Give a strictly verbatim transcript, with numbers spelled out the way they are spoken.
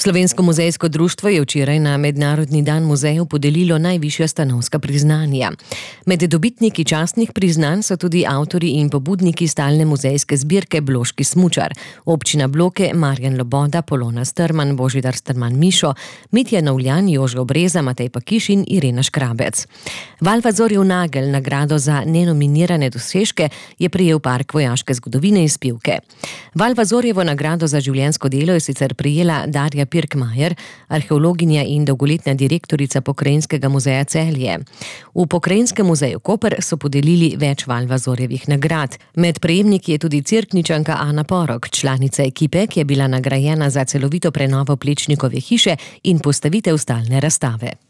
Slovensko muzejsko društvo je včeraj na Mednarodni dan muzejev podelilo najvišja stanovska priznanja. Med dobitniki častnih priznanj so tudi avtorji in pobudniki stalne muzejske zbirke Bloški smučar, občina Bloke, Marjan Loboda, Polona Strman, Božidar Strman Mišo, Mitja Novljan, Jože Obreza, Matej Pakiš in Irena Škrabec. Valvazorjev nagelj, nagrado za nenominirane dosežke, je prejel Park vojaške zgodovine iz Pivke. Valvazorjevo nagrado za življenjsko delo je sicer prejela Darja Pirkmajer, arheologinja in dolgoletna direktorica Pokrajinskega muzeja Celje. V Pokrajinskem muzeju Koper so podelili več Valvazorjevih nagrad. Med prejemniki je tudi Cerkničanka Ana Porok, članica ekipe, ki je bila nagrajena za celovito prenovo Plečnikove hiše in postavitev stalne razstave.